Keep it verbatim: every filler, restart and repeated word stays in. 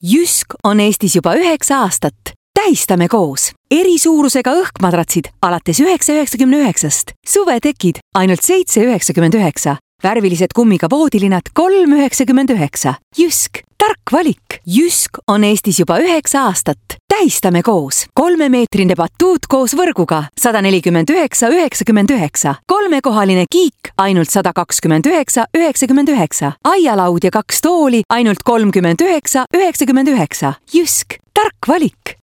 Jysk on Eestis juba üheksa aastat. Tähistame koos. Eri suurusega õhkmadratsid alates üheksa üheksakümne üheksast. Suvetekid ainult seitse üheksakümmend üheksa. Värvilised kummiga voodilinad kolm üheksakümmend üheksa. Jysk. Tark valik. Jysk on Eestis juba üheksa aastat. Tähistame koos. Kolmemeetrine batuut koos võrguga sada nelikümmend üheksa üheksakümmend üheksa. Kolmekohaline kiik ainult sada kakskümmend üheksa üheksakümmend üheksa. Aialaud ja kaks tooli ainult kolmkümmend üheksa üheksakümmend üheksa. Jysk. Tark valik.